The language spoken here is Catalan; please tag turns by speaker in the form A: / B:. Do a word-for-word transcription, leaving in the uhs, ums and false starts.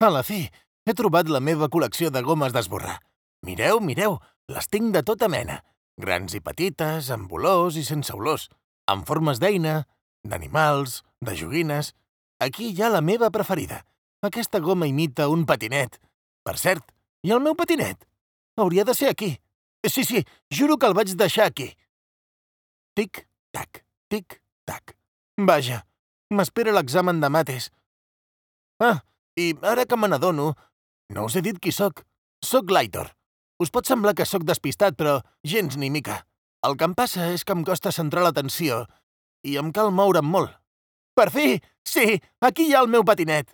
A: A la fi, he trobat la meva col·lecció de gomes d'esborrar. Mireu, mireu, les tinc de tota mena. Grans i petites, amb olors i sense olors, amb formes d'eina, d'animals, de joguines. Aquí hi ha la meva preferida. Aquesta goma imita un patinet. Per cert, i el meu patinet? Hauria de ser aquí. Sí, sí, juro que el vaig deixar aquí. Tic-tac, tic-tac. Vaja, m'espera l'examen de mates. Ah, i ara que me n'adono, no us he dit qui sóc. Sóc l'Aitor. Us pot semblar que sóc despistat, però gens ni mica. El que em passa és que em costa centrar l'atenció i em cal moure'm molt. Per fi! Sí, aquí hi ha el meu patinet!